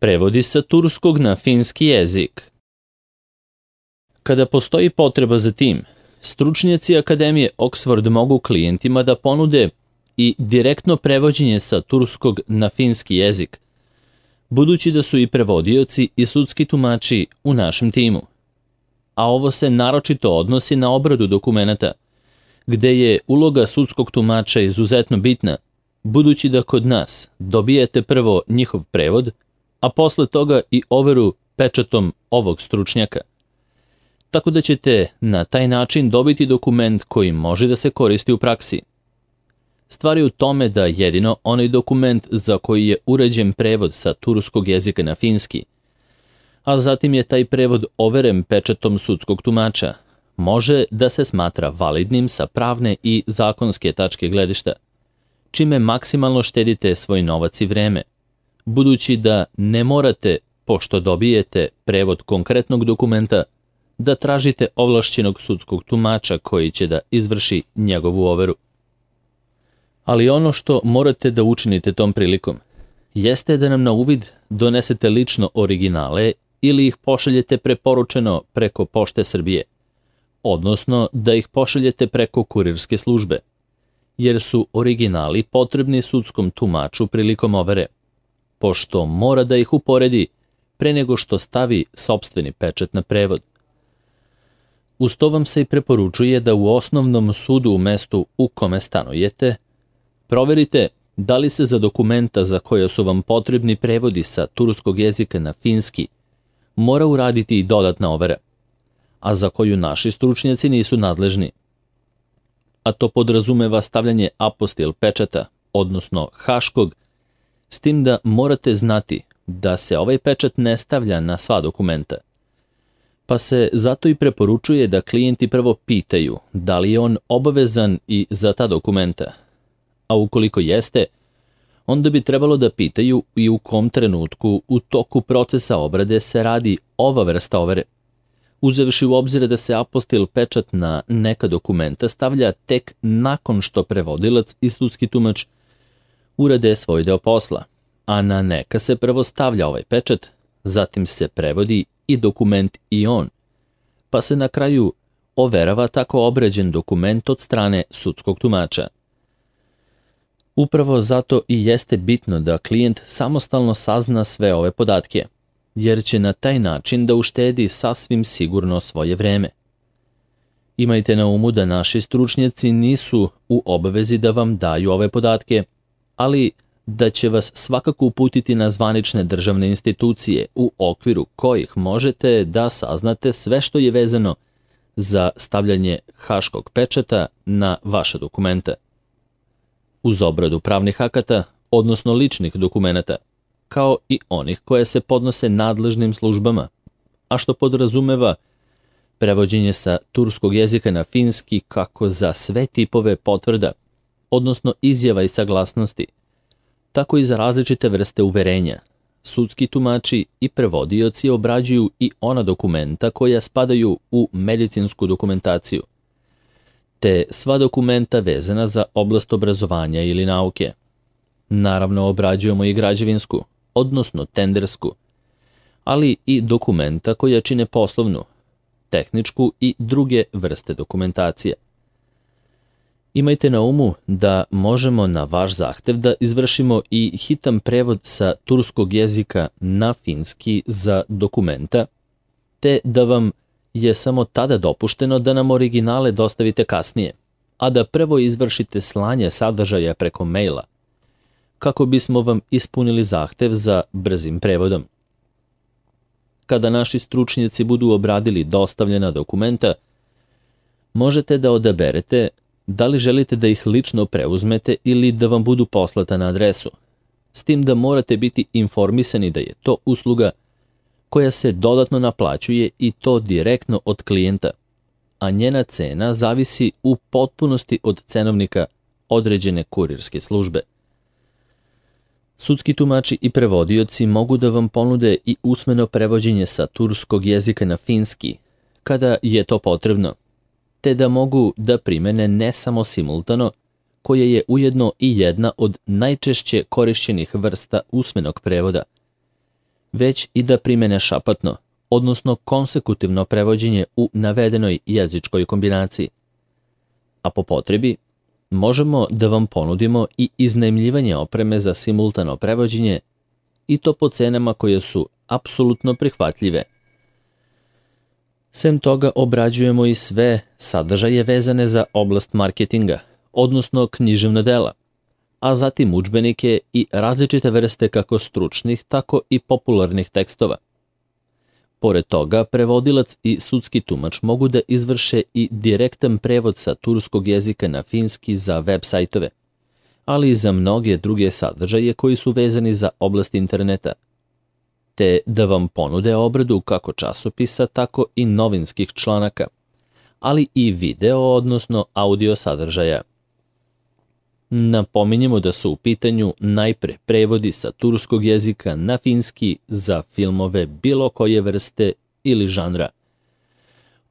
Prevodi sa turskog na finski jezik. Kada postoji potreba za tim, stručnjaci Akademije Oxford mogu klijentima da ponude i direktno prevođenje sa turskog na finski jezik, budući da su i prevodioci i sudski tumači u našem timu. A ovo se naročito odnosi na obradu dokumenata, gde je uloga sudskog tumača izuzetno bitna, budući da kod nas dobijete prvo njihov prevod, a posle toga i overu pečatom ovog stručnjaka. Tako da ćete na taj način dobiti dokument koji može da se koristi u praksi. Stvar je u tome da jedino onaj dokument za koji je uređen prevod sa turskog jezika na finski, a zatim je taj prevod overen pečatom sudskog tumača, može da se smatra validnim sa pravne i zakonske tačke gledišta, čime maksimalno štedite svoj novac i vreme, budući da ne morate, pošto dobijete prevod konkretnog dokumenta, da tražite ovlašćenog sudskog tumača koji će da izvrši njegovu overu. Ali ono što morate da učinite tom prilikom, jeste da nam na uvid donesete lično originale ili ih pošaljete preporučeno preko Pošte Srbije, odnosno da ih pošaljete preko kurirske službe, jer su originali potrebni sudskom tumaču prilikom overe, pošto mora da ih uporedi pre nego što stavi sopstveni pečat na prevod. Uz to vam se i preporučuje da u osnovnom sudu u mestu u kome stanujete proverite da li se za dokumenta za koje su vam potrebni prevodi sa turskog jezika na finski mora uraditi i dodatna overa, a za koju naši stručnjaci nisu nadležni. A to podrazumeva stavljanje apostil pečata, odnosno haškog, s tim da morate znati da se ovaj pečat ne stavlja na sva dokumenta. Pa se zato i preporučuje da klijenti prvo pitaju da li je on obavezan i za ta dokumenta, a ukoliko jeste, onda bi trebalo da pitaju i u kom trenutku u toku procesa obrade se radi ova vrsta overe, uzevši u obzir da se apostil pečat na neka dokumenta stavlja tek nakon što prevodilac i sudski tumač urade svoj deo posla, a na neka se prvo stavlja ovaj pečat, zatim se prevodi i dokument i on, pa se na kraju overava tako obrađen dokument od strane sudskog tumača. Upravo zato i jeste bitno da klijent samostalno sazna sve ove podatke, jer će na taj način da uštedi sasvim sigurno svoje vreme. Imajte na umu da naši stručnjaci nisu u obavezi da vam daju ove podatke, ali da će vas svakako uputiti na zvanične državne institucije u okviru kojih možete da saznate sve što je vezano za stavljanje haškog pečata na vaša dokumenta. Uz obradu pravnih akata, odnosno ličnih dokumenata, kao i onih koje se podnose nadležnim službama, a što podrazumeva prevođenje sa turskog jezika na finski kako za sve tipove potvrda, odnosno izjava i saglasnosti, tako i za različite vrste uverenja. Sudski tumači i prevodioci obrađuju i ona dokumenta koja spadaju u medicinsku dokumentaciju, te sva dokumenta vezana za oblast obrazovanja ili nauke. Naravno, obrađujemo i građevinsku, odnosno tendersku, ali i dokumenta koja čine poslovnu, tehničku i druge vrste dokumentacije. Imajte na umu da možemo na vaš zahtev da izvršimo i hitan prevod sa turskog jezika na finski za dokumenta, te da vam je samo tada dopušteno da nam originale dostavite kasnije, a da prvo izvršite slanje sadržaja preko maila, kako bismo vam ispunili zahtev za brzim prevodom. Kada naši stručnjaci budu obradili dostavljena dokumenta, možete da odaberete da li želite da ih lično preuzmete ili da vam budu poslata na adresu, s tim da morate biti informisani da je to usluga koja se dodatno naplaćuje i to direktno od klijenta, a njena cena zavisi u potpunosti od cenovnika određene kurirske službe. Sudski tumači i prevodioci mogu da vam ponude i usmeno prevođenje sa turskog jezika na finski, kada je to potrebno, te da mogu da primene ne samo simultano, koje je ujedno i jedna od najčešće korišćenih vrsta usmenog prevoda, već i da primene šapatno, odnosno konsekutivno prevođenje u navedenoj jezičkoj kombinaciji. A po potrebi, možemo da vam ponudimo i iznajmljivanje opreme za simultano prevođenje i to po cenama koje su apsolutno prihvatljive. Sem toga obrađujemo i sve sadržaje vezane za oblast marketinga, odnosno književna dela, a zatim udžbenike i različite vrste kako stručnih, tako i popularnih tekstova. Pored toga, prevodilac i sudski tumač mogu da izvrše i direktan prevod sa turskog jezika na finski za web sajtove, ali i za mnoge druge sadržaje koji su vezani za oblast interneta, te da vam ponude obradu kako časopisa, tako i novinskih članaka, ali i video, odnosno audio sadržaja. Napominjemo da su u pitanju najpre prevodi sa turskog jezika na finski za filmove bilo koje vrste ili žanra,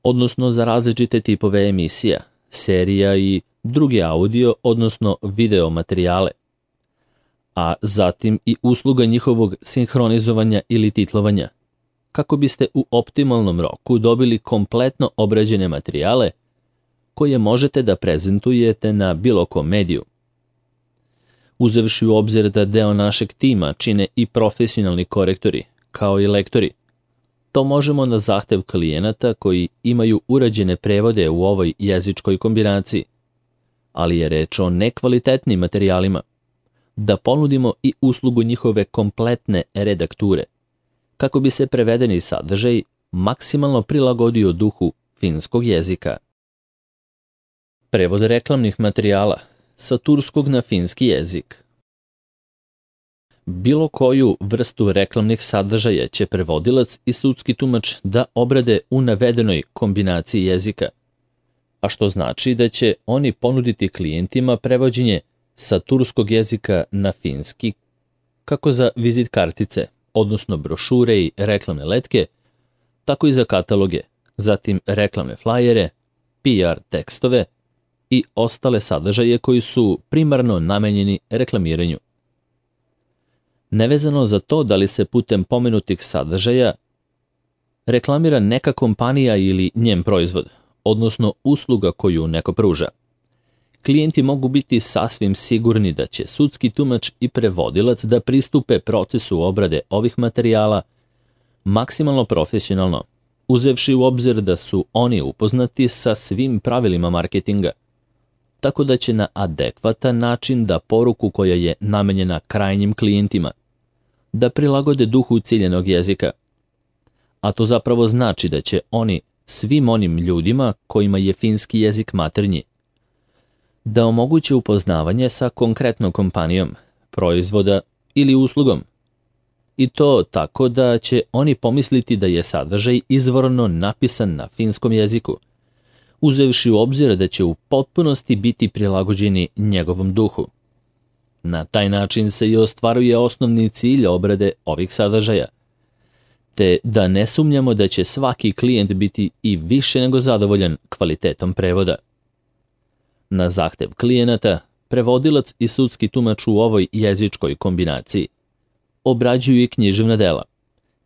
odnosno za različite tipove emisija, serija i druge audio, odnosno video materijale, a zatim i usluga njihovog sinhronizovanja ili titlovanja, kako biste u optimalnom roku dobili kompletno obrađene materijale koje možete da prezentujete na bilo kom mediju. Uzevši u obzir da deo našeg tima čine i profesionalni korektori, kao i lektori, to možemo na zahtev klijenata koji imaju urađene prevode u ovoj jezičkoj kombinaciji, ali je reč o nekvalitetnim materijalima, da ponudimo i uslugu njihove kompletne redakture, kako bi se prevedeni sadržaj maksimalno prilagodio duhu finskog jezika. Prevod reklamnih materijala sa turskog na finski jezik. Bilo koju vrstu reklamnih sadržaja će prevodilac i sudski tumač da obrade u navedenoj kombinaciji jezika, a što znači da će oni ponuditi klijentima prevođenje sa turskog jezika na finski, kako za vizit kartice, odnosno brošure i reklamne letke, tako i za kataloge, zatim reklamne flajere, PR tekstove i ostale sadržaje koji su primarno namenjeni reklamiranju. Nevezano za to da li se putem pomenutih sadržaja reklamira neka kompanija ili njen proizvod, odnosno usluga koju neko pruža, klijenti mogu biti sasvim sigurni da će sudski tumač i prevodilac da pristupe procesu obrade ovih materijala maksimalno profesionalno, uzevši u obzir da su oni upoznati sa svim pravilima marketinga, tako da će na adekvatan način da poruku koja je namenjena krajnjim klijentima, da prilagode duhu ciljenog jezika. A to zapravo znači da će oni svim onim ljudima kojima je finski jezik maternji, da omoguće upoznavanje sa konkretnom kompanijom, proizvoda ili uslugom. I to tako da će oni pomisliti da je sadržaj izvorno napisan na finskom jeziku, uzevši u obzir da će u potpunosti biti prilagođeni njegovom duhu. Na taj način se i ostvaruje osnovni cilj obrade ovih sadržaja, te da ne sumnjamo da će svaki klijent biti i više nego zadovoljan kvalitetom prevoda. Na zahtev klijenata, prevodilac i sudski tumač u ovoj jezičkoj kombinaciji obrađuju i književna dela,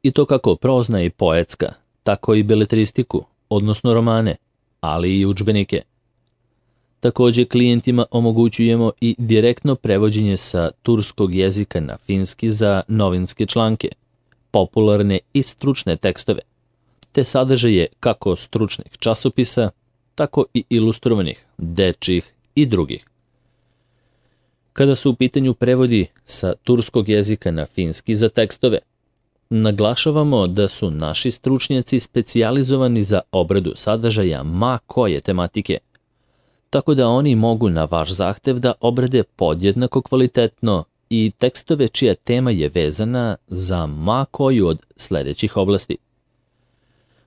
i to kako prozna i poetska, tako i beletristiku, odnosno romane, ali i udžbenike. Takođe, klijentima omogućujemo i direktno prevođenje sa turskog jezika na finski za novinske članke, popularne i stručne tekstove, te sadržaje kako stručnih časopisa, tako i ilustrovanih, dečjih i drugih. Kada su u pitanju prevodi sa turskog jezika na finski za tekstove, naglašavamo da su naši stručnjaci specijalizovani za obradu sadržaja ma koje tematike, tako da oni mogu na vaš zahtev da obrade podjednako kvalitetno i tekstove čija tema je vezana za ma koju od sledećih oblasti: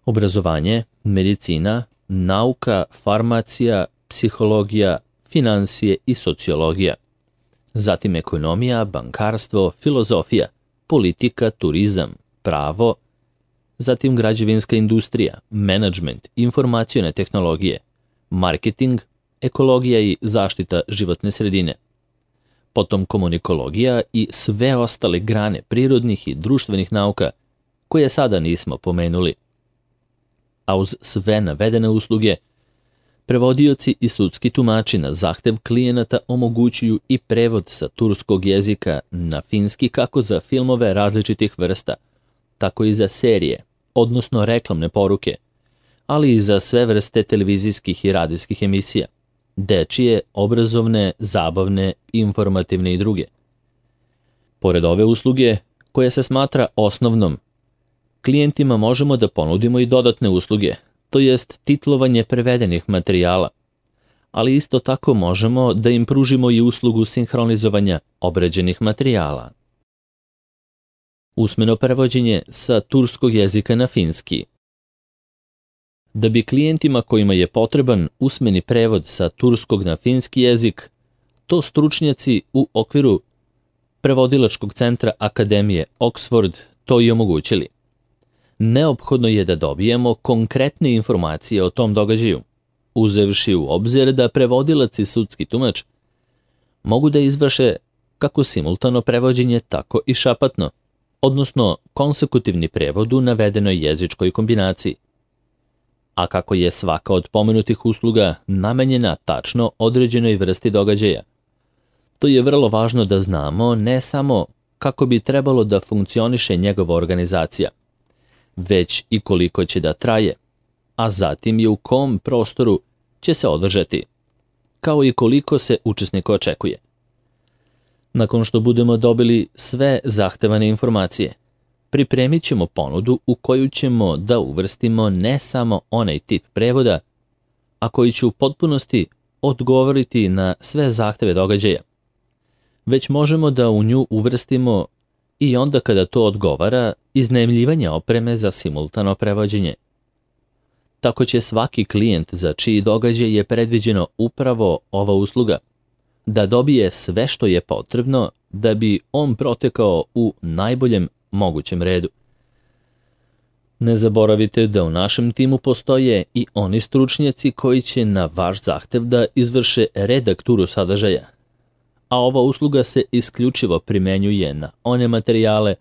obrazovanje, medicina, nauka, farmacija, psihologija, finansije i sociologija, zatim ekonomija, bankarstvo, filozofija, politika, turizam, pravo, zatim građevinska industrija, menadžment, informacione tehnologije, marketing, ekologija i zaštita životne sredine, potom komunikologija i sve ostale grane prirodnih i društvenih nauka koje sada nismo pomenuli. A uz sve navedene usluge, prevodioci i sudski tumači na zahtev klijenata omogućuju i prevod sa turskog jezika na finski kako za filmove različitih vrsta, tako i za serije, odnosno reklamne poruke, ali i za sve vrste televizijskih i radijskih emisija, dečije, obrazovne, zabavne, informativne i druge. Pored ove usluge, koja se smatra osnovnom, klijentima možemo da ponudimo i dodatne usluge, to jest titlovanje prevedenih materijala, ali isto tako možemo da im pružimo i uslugu sinhronizovanja obrađenih materijala. Usmeno prevođenje sa turskog jezika na finski. Da bi klijentima kojima je potreban usmeni prevod sa turskog na finski jezik, to stručnjaci u okviru prevodilačkog centra Akademije Oxford to i omogućili. Neophodno je da dobijemo konkretne informacije o tom događaju, uzevši u obzir da prevodilac i sudski tumač mogu da izvrše kako simultano prevođenje, tako i šapatno, odnosno konsekutivni prevod u navedenoj jezičkoj kombinaciji. A kako je svaka od pomenutih usluga namenjena tačno određenoj vrsti događaja, to je vrlo važno da znamo ne samo kako bi trebalo da funkcioniše njegova organizacija, već i koliko će da traje, a zatim i u kom prostoru će se održati, kao i koliko se učesnika očekuje. Nakon što budemo dobili sve zahtevane informacije, pripremit ćemo ponudu u koju ćemo da uvrstimo ne samo onaj tip prevoda, a koji će u potpunosti odgovoriti na sve zahteve događaja, već možemo da u nju uvrstimo i onda kada to odgovara iznajmljivanje opreme za simultano prevođenje. Tako će svaki klijent za čiji događaj je predviđeno upravo ova usluga da dobije sve što je potrebno da bi on protekao u najboljem mogućem redu. Ne zaboravite da u našem timu postoje i oni stručnjaci koji će na vaš zahtev da izvrše redakturu sadržaja, a ova usluga se isključivo primenjuje na one materijale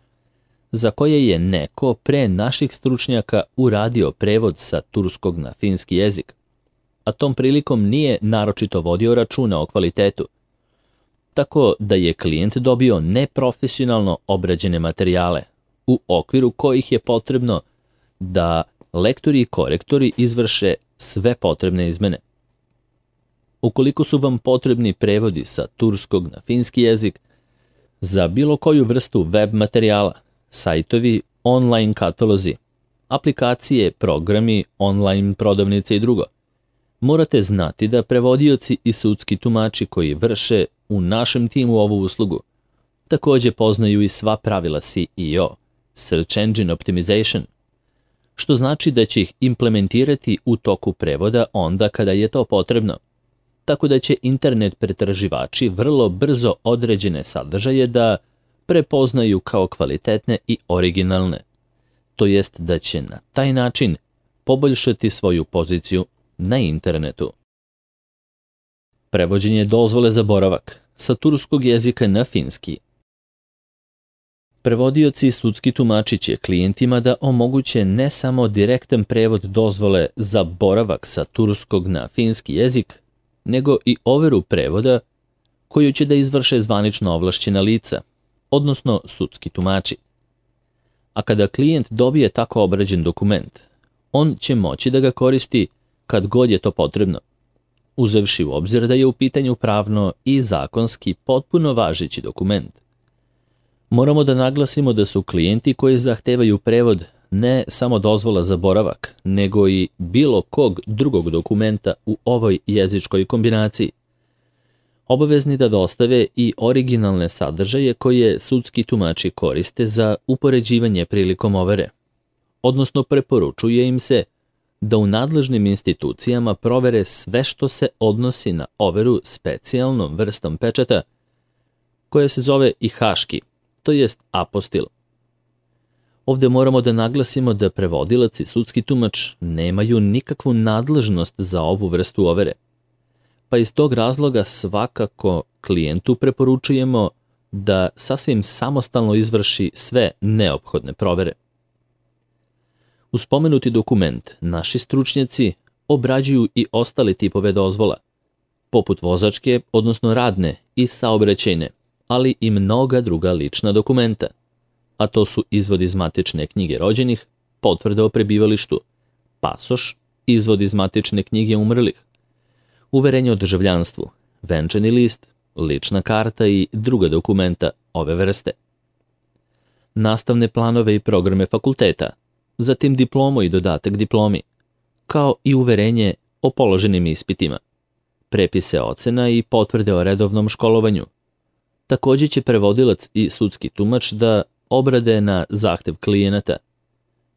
za koje je neko pre naših stručnjaka uradio prevod sa turskog na finski jezik, a tom prilikom nije naročito vodio računa o kvalitetu, tako da je klijent dobio neprofesionalno obrađene materijale, u okviru kojih je potrebno da lektori i korektori izvrše sve potrebne izmene. Ukoliko su vam potrebni prevodi sa turskog na finski jezik, za bilo koju vrstu web materijala, sajtovi, online katalozi, aplikacije, programi, online prodavnice i drugo, morate znati da prevodioci i sudski tumači koji vrše u našem timu ovu uslugu takođe poznaju i sva pravila SEO, Search Engine Optimization, što znači da će ih implementirati u toku prevoda onda kada je to potrebno, tako da će internet pretraživači vrlo brzo određene sadržaje da prepoznaju kao kvalitetne i originalne, to jest da će na taj način poboljšati svoju poziciju na internetu. Prevođenje dozvole za boravak sa turskog jezika na finski. Prevodioci i sudski tumači će klijentima da omoguće ne samo direktan prevod dozvole za boravak sa turskog na finski jezik, nego i overu prevoda koju će da izvrše zvanično ovlašćena lica, odnosno sudski tumači. A kada klijent dobije tako obrađen dokument, on će moći da ga koristi kad god je to potrebno, uzevši u obzir da je u pitanju pravno i zakonski potpuno važeći dokument. Moramo da naglasimo da su klijenti koji zahtevaju prevod ne samo dozvola za boravak, nego i bilo kog drugog dokumenta u ovoj jezičkoj kombinaciji obavezni da dostave i originalne sadržaje koje sudski tumači koriste za upoređivanje prilikom overe, odnosno preporučuje im se da u nadležnim institucijama provere sve što se odnosi na overu specijalnom vrstom pečata koja se zove i haški, to jest apostil. Ovde moramo da naglasimo da prevodilac i sudski tumač nemaju nikakvu nadležnost za ovu vrstu overe, pa iz tog razloga svakako klijentu preporučujemo da sasvim samostalno izvrši sve neophodne provere. Uz spomenuti dokument naši stručnjaci obrađuju i ostale tipove dozvola, poput vozačke, odnosno radne i saobraćajne, ali i mnoga druga lična dokumenta, a to su izvod iz matične knjige rođenih, potvrda o prebivalištu, pasoš, izvod iz matične knjige umrlih, uverenje o državljanstvu, venčani list, lična karta i druga dokumenta ove vrste. Nastavne planove i programe fakulteta, zatim diplomu i dodatak diplomi, kao i uverenje o položenim ispitima, prepise ocena i potvrde o redovnom školovanju. Takođe će prevodilac i sudski tumač da obrade na zahtev klijenata,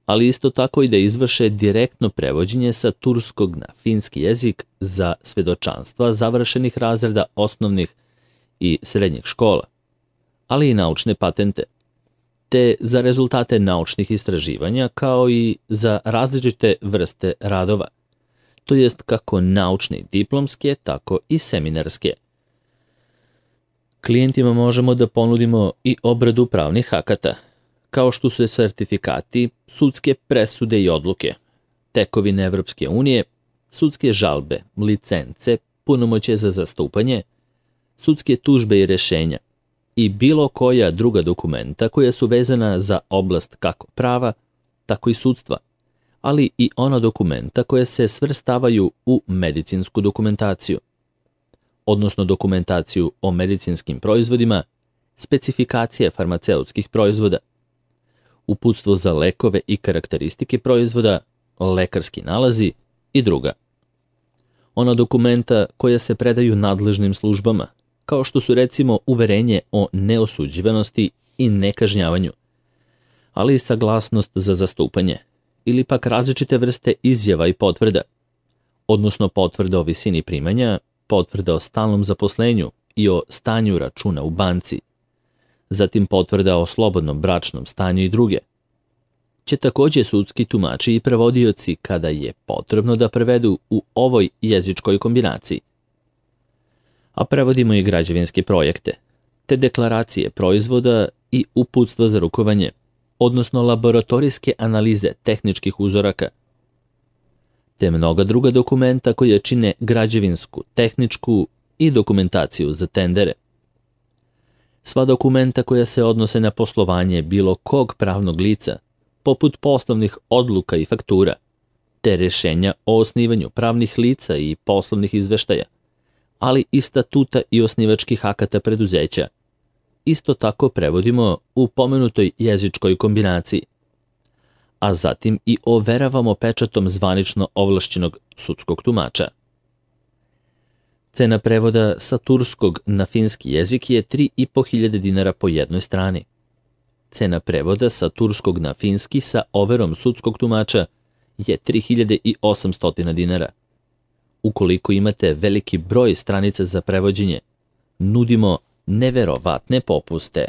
ali isto tako i da izvrše direktno prevođenje sa turskog na finski jezik za svedočanstva završenih razreda osnovnih i srednjih škola, ali i naučne patente, te za rezultate naučnih istraživanja kao i za različite vrste radova, to jest kako naučne i diplomske, tako i seminarske. Klijentima možemo da ponudimo i obradu pravnih akata, kao što su sertifikati, sudske presude i odluke, tekovine Evropske unije, sudske žalbe, licence, punomoćje za zastupanje, sudske tužbe i rešenja i bilo koja druga dokumenta koja su vezana za oblast kako prava, tako i sudstva, ali i ona dokumenta koja se svrstavaju u medicinsku dokumentaciju, odnosno dokumentaciju o medicinskim proizvodima, specifikacije farmaceutskih proizvoda, uputstvo za lekove i karakteristike proizvoda, lekarski nalazi i druga. Ona dokumenta koja se predaju nadležnim službama, kao što su recimo uverenje o neosuđivanosti i nekažnjavanju, ali i saglasnost za zastupanje, ili pak različite vrste izjava i potvrda, odnosno potvrda o visini primanja, potvrda o stalnom zaposlenju i o stanju računa u banci, zatim potvrda o slobodnom bračnom stanju i druge, će takođe sudski tumači i prevodioci kada je potrebno da prevedu u ovoj jezičkoj kombinaciji. A prevodimo i građevinske projekte, te deklaracije proizvoda i uputstva za rukovanje, odnosno laboratorijske analize tehničkih uzoraka, te mnoga druga dokumenta koja čine građevinsku, tehničku i dokumentaciju za tendere. Sva dokumenta koja se odnose na poslovanje bilo kog pravnog lica, poput poslovnih odluka i faktura, te rešenja o osnivanju pravnih lica i poslovnih izveštaja, ali i statuta i osnivačkih akata preduzeća, isto tako prevodimo u pomenutoj jezičkoj kombinaciji, a zatim i overavamo pečatom zvanično ovlašćenog sudskog tumača. Cena prevoda sa turskog na finski jezik je 3.500 dinara po jednoj strani. Cena prevoda sa turskog na finski sa overom sudskog tumača je 3.800 dinara. Ukoliko imate veliki broj stranica za prevođenje, nudimo neverovatne popuste.